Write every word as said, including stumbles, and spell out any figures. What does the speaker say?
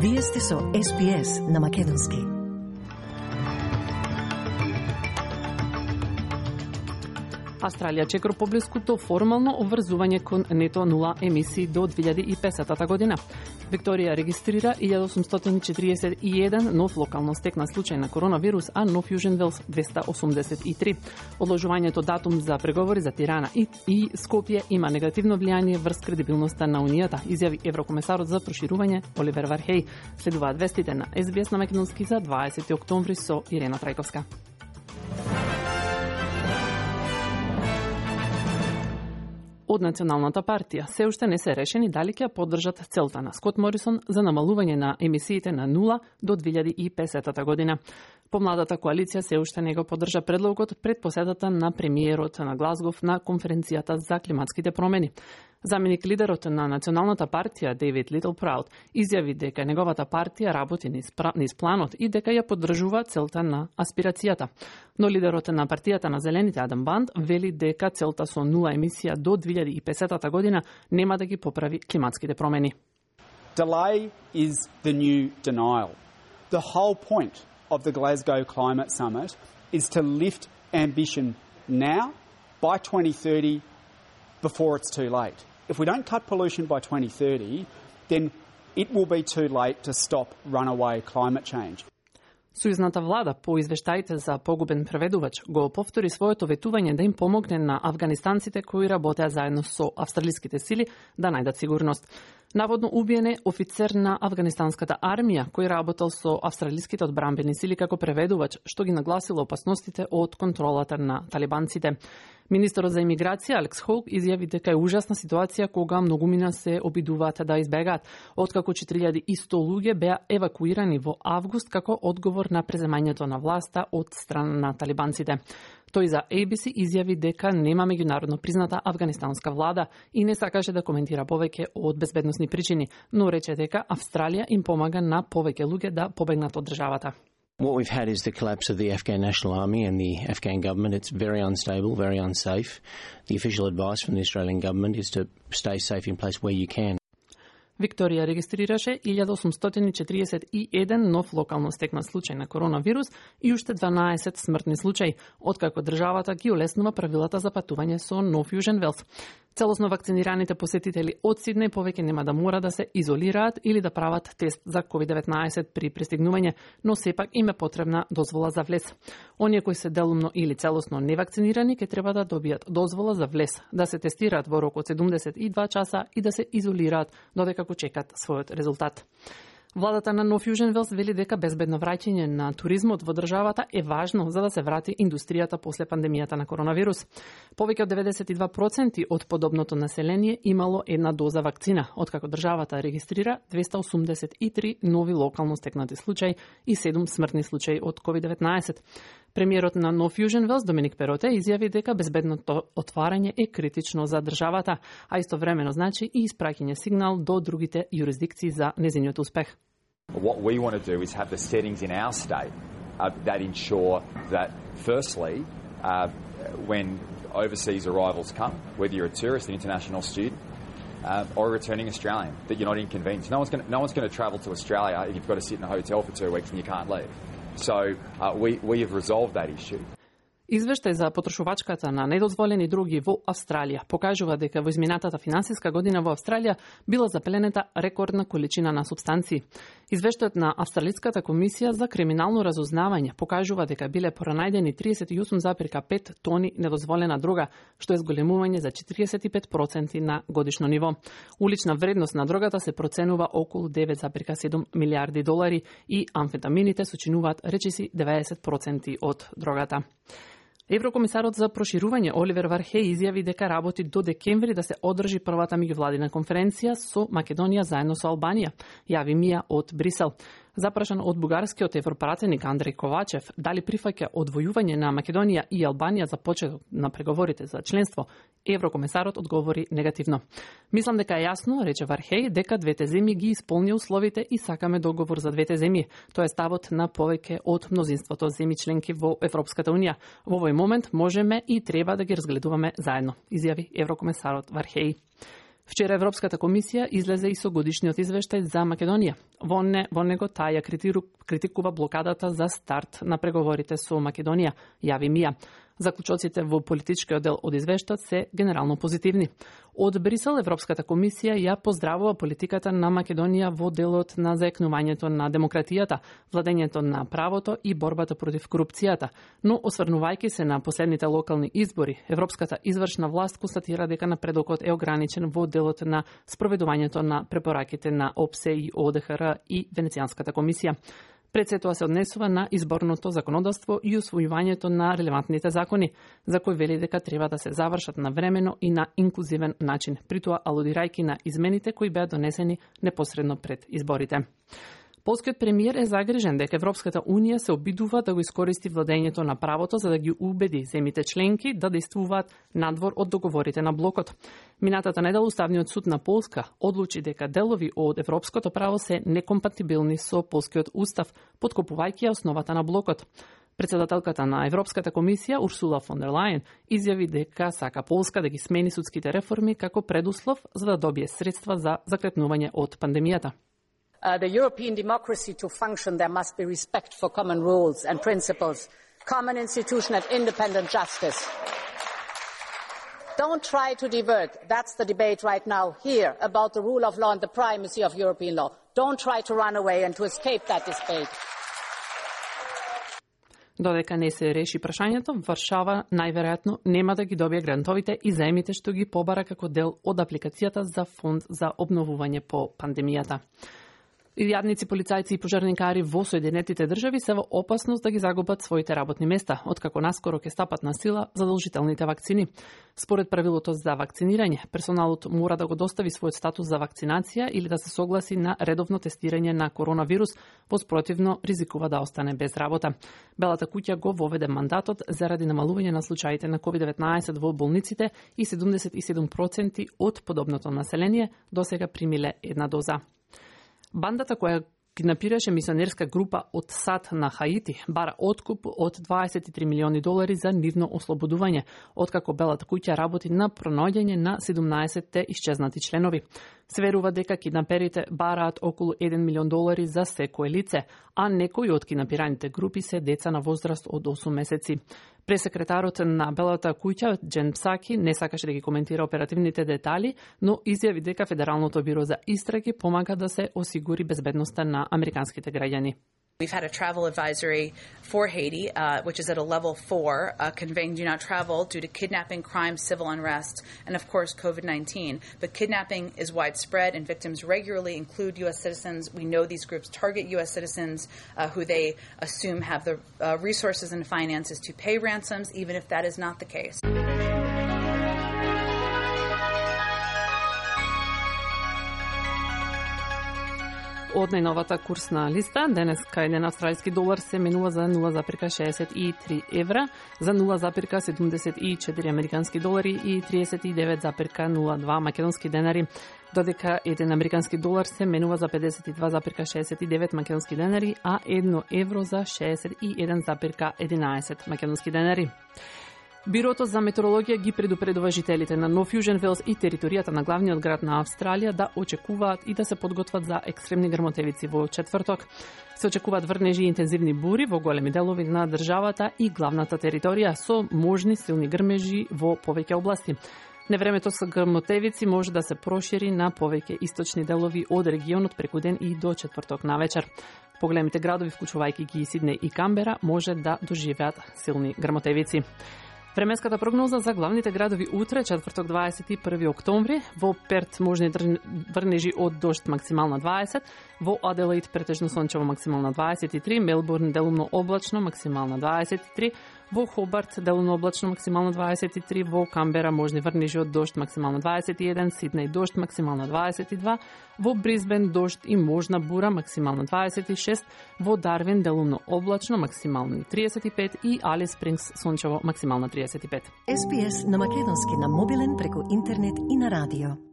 Вие сте со Ес Би Ес на Македонски. Австралија чекор поблиското формално обврзување кон нето нула емисии до две илјади и песетата година. Викторија регистрира илјада осумстотини четиридесет и еден нов локално стекнат случај на коронавирус, а Нов Јужен Велс двеста осумдесет и три. Одложувањето датум за преговори за Тирана и, и Скопје има негативно влијание врз кредибилноста на Унијата, изјави еврокомесарот за проширување Оливер Вархеј. Следуваат вестите на Ес Би Ес на Македонски за дваесети октомври со Ирена Трајковска. Од Националната партија се уште не се решени дали ќе поддржат целта на Скот Морисон за намалување на емисиите на нула до две илјади и песетата година. Помладата коалиција се уште не го поддржа предлогот пред посетата на премиерот на Глазгов на конференцијата за климатските промени. Заменик лидерот на Националната партија Дейвид Литлпраут изјави дека неговата партија работи низ планот и дека ја поддржува целта на аспирацијата. Но лидерот на партијата на Зелените Адам Банд вели дека целта со нула емисија до две илјади и песетата година нема да ги поправи климатските промени. Delay is the new denial. The whole point of the Glasgow Climate Summit is to lift ambition now by twenty thirty before it's too late. If we don't cut pollution by twenty thirty, then it will be too late to stop runaway climate change. Сојузната влада по извештаите за погубен преведувач го повтори своето ветување да им помогне на афганистанците кои работеа заедно со австралиските сили да најдат сигурност. Наводно убиен е офицер на афганистанската армија кој работел со австралиските одбранбени сили како преведувач, што ги нагласило опасностите од контролата на талибанците. Министерот за имиграција Алекс Хоук изјави дека е ужасна ситуација кога многумина се обидуваат да избегаат, откако четири илјади и сто луѓе беа евакуирани во август како одговор на преземањето на власта од страна на талибанците. Тој за Ей Би Си изјави дека нема меѓународно призната афганистанска влада и не сакаше да коментира повеќе од безбедносни причини, но рече дека Австралија им помага на повеќе луѓе да побегнат од државата. What we've had is the collapse of the Afghan National Army and the Afghan government. It's very unstable, very unsafe. The official advice from the Australian government is to stay safe in place where you can. Викторија регистрираше илјада осумстотини четиридесет и еден нов локално стекнат случај на коронавирус и уште дванаесет смртни случаи, откако државата ги олеснува правилата за патување со Нов Јужен Велс. Целосно вакцинираните посетители од Сиднеј повеќе нема да мора да се изолираат или да прават тест за ковид деветнаесет при пристигнување, но сепак им е потребна дозвола за влез. Оние кои се делумно или целосно невакцинирани ќе треба да добијат дозвола за влез, да се тестираат во рок од седумдесет и два часа и да се изолираат додека како чекат својот резултат. Владата на Нов Јужен Велс вели дека безбедно враќање на туризмот во државата е важно за да се врати индустријата после пандемијата на коронавирус. Повеќе од деветдесет и два проценти од подобното население имало една доза вакцина, откако државата регистрира двеста осумдесет и три нови локално стекнати случаи и седум смртни случаи од ковид деветнаесет. Премиерот на Нов Јужен Велс Доминик Пероте изјави дека безбедното отварање е критично за државата, а истовремено значи и испраќање сигнал до другите юрисдикции за незиниот успех. What we want to do is have the settings in our state uh, that ensure that, firstly, uh, when overseas arrivals come, whether you're a tourist, an international student, uh, or a returning Australian, that you're not inconvenienced. No one's going to, no one's going to travel to Australia if you've got to sit in a hotel for two weeks and you can't leave. So uh, we, we have resolved that issue. Извештај за потрошувачката на недозволени дроги во Австралија покажува дека во изминатата финансиска година во Австралија била запленета рекордна количина на супстанции. Извештајот на Австралиската комисија за криминално разузнавање покажува дека биле пронајдени триесет и осум запирка пет тони недозволена дрога, што е зголемување за четиридесет и пет проценти на годишно ниво. Улична вредност на дрогата се проценува околу девет запирка седум милиарди долари и амфетамините сочинуваат речиси деветдесет проценти од дрогата. Еврокомисарот за проширување Оливер Вархеј изјави дека работи до декември да се одржи првата меѓувладина конференција со Македонија заедно со Албанија, јави Мија од Брисел. Запрашан од бугарскиот европратеник Андреј Ковачев дали прифаќа одвојување на Македонија и Албанија за почеток на преговорите за членство, еврокомисарот одговори негативно. Мислам дека е јасно, рече Вархеј, дека двете земји ги исполни условите и сакаме договор за двете земји. Тоа е ставот на повеќе од мнозинството земји членки во Европската унија. Во овој момент можеме и треба да ги разгледуваме заедно, изјави еврокомисарот Вархеј. Вчера Европската комисија излезе и со годишниот извештај за Македонија. Во, не, во него таја критикува блокадата за старт на преговорите со Македонија, јави МИА. Заклучоците во политичкиот дел од извештајот се генерално позитивни. Од Брисел Европската комисија ја поздравува политиката на Македонија во делот на заекнувањето на демократијата, владењето на правото и борбата против корупцијата. Но осврнувајќи се на последните локални избори, Европската извршна власт констатира дека напредокот е ограничен во делот на спроведувањето на препораките на ОПСЕ и ОДХР и Венецијанската комисија. Пред се тоа се однесува на изборното законодавство и усвојувањето на релевантните закони, за кои вели дека треба да се завршат навремено и на инклузивен начин, при тоа алудирајќи на измените кои беа донесени непосредно пред изборите. Полскиот премиер е загрижен дека Европската Унија се обидува да го искористи владењето на правото за да ги убеди земите членки да действуваат надвор од договорите на блокот. Минатата недела Уставниот суд на Полска одлучи дека делови од европското право се некомпатибилни со полскиот устав, подкопувајќи основата на блокот. Председателката на Европската комисија Урсула фон дер Лајен изјави дека сака Полска да ги смени судските реформи како предуслов за да добие средства за закрепнување од пандемијата. Uh, the European democracy to function, there must be respect for common rules and principles, common institution and independent justice. Don't try to divert. That's the debate right now here about the rule of law and the primacy of European law. Don't try to run away and to escape that debate. Додека не се реши прашањето, Варшава најверојатно нема да ги добие грантовите и заемите што ги побара како дел од апликацијата за фонд за обновување по пандемијата. Илјадници полицајци и пожарникари во Соединетите држави се во опасност да ги загубат своите работни места, откако наскоро ќе стапат на сила задолжителните вакцини. Според правилото за вакцинирање, персоналот мора да го достави својот статус за вакцинација или да се согласи на редовно тестирање на коронавирус, во спротивно ризикува да остане без работа. Белата куќа го воведе мандатот заради намалување на случаите на ковид деветнаесет во болниците и седумдесет и седум проценти од подобното население досега примиле една доза. Бандата која киднапираше мисионерска група од САД на Хаити бара откуп од дваесет и три милиони долари за нивно ослободување, откако Белата куќа работи на пронаоѓање на седумнаесетте исчезнати членови. Се верува дека киднаперите бараат околу еден милион долари за секое лице, а некои од киднапираните групи се деца на возраст од осум месеци. Пресекретарот на Белата куќа, Джен Псаки, не сакаше да ги коментира оперативните детали, но изјави дека Федералното биро за истраги помага да се осигури безбедноста на американските граѓани. We've had a travel advisory for Haiti, uh, which is at a level four, uh, conveying do not travel due to kidnapping, crime, civil unrest, and of course COVID nineteen. But kidnapping is widespread and victims regularly include U S citizens. We know these groups target U S citizens uh, who they assume have the uh, resources and finances to pay ransoms, even if that is not the case. Од најновата курсна листа, денеска еден австралиски долар се менува за нула запирка шеесет и три евра, за нула запирка седумдесет и четири американски долари и триесет и девет запирка нула два македонски денари, додека еден американски долар се менува за педесет и два запирка шеесет и девет македонски денари, а едно евро за шеесет и еден запирка единаесет македонски денари. Бирото за метеорологија ги предупредува жителите на Нов Јужен Велс и територијата на главниот град на Австралија да очекуваат и да се подготват за екстремни грмотевици во четврток. Се очекуваат врнежи и интензивни бури во големи делови на државата и главната територија со можни силни грмежи во повеќе области. Невремето со грмотевици може да се прошири на повеќе источни делови од регионот преку ден и до четврток навечер. Поголемите градови, вклучувајќи ги Сиднеј и Камбера, може да доживеат силни грмотевици. Временската прогноза за главните градови утре, четврток дваесет и први октомври, во Перт можни врнежи од дожд максимална дваесет, во Аделаид претежно сончево максимална дваесет и три, Мелбурн делумно облачно максимална дваесет и три, во Хобарт делумно облачно максимална дваесет и три, во Камбера можни врнежи од дожд максимална дваесет и еден, Сиднеј дожд максимална дваесет и два, во Брисбен дожд и можна бура максимална дваесет и шест, во Дарвин делумно облачно максимални триесет и пет и Алис Спрингс сончево максимална триесет и пет. Ес Би Ес на македонски на мобилен преку интернет и на радио.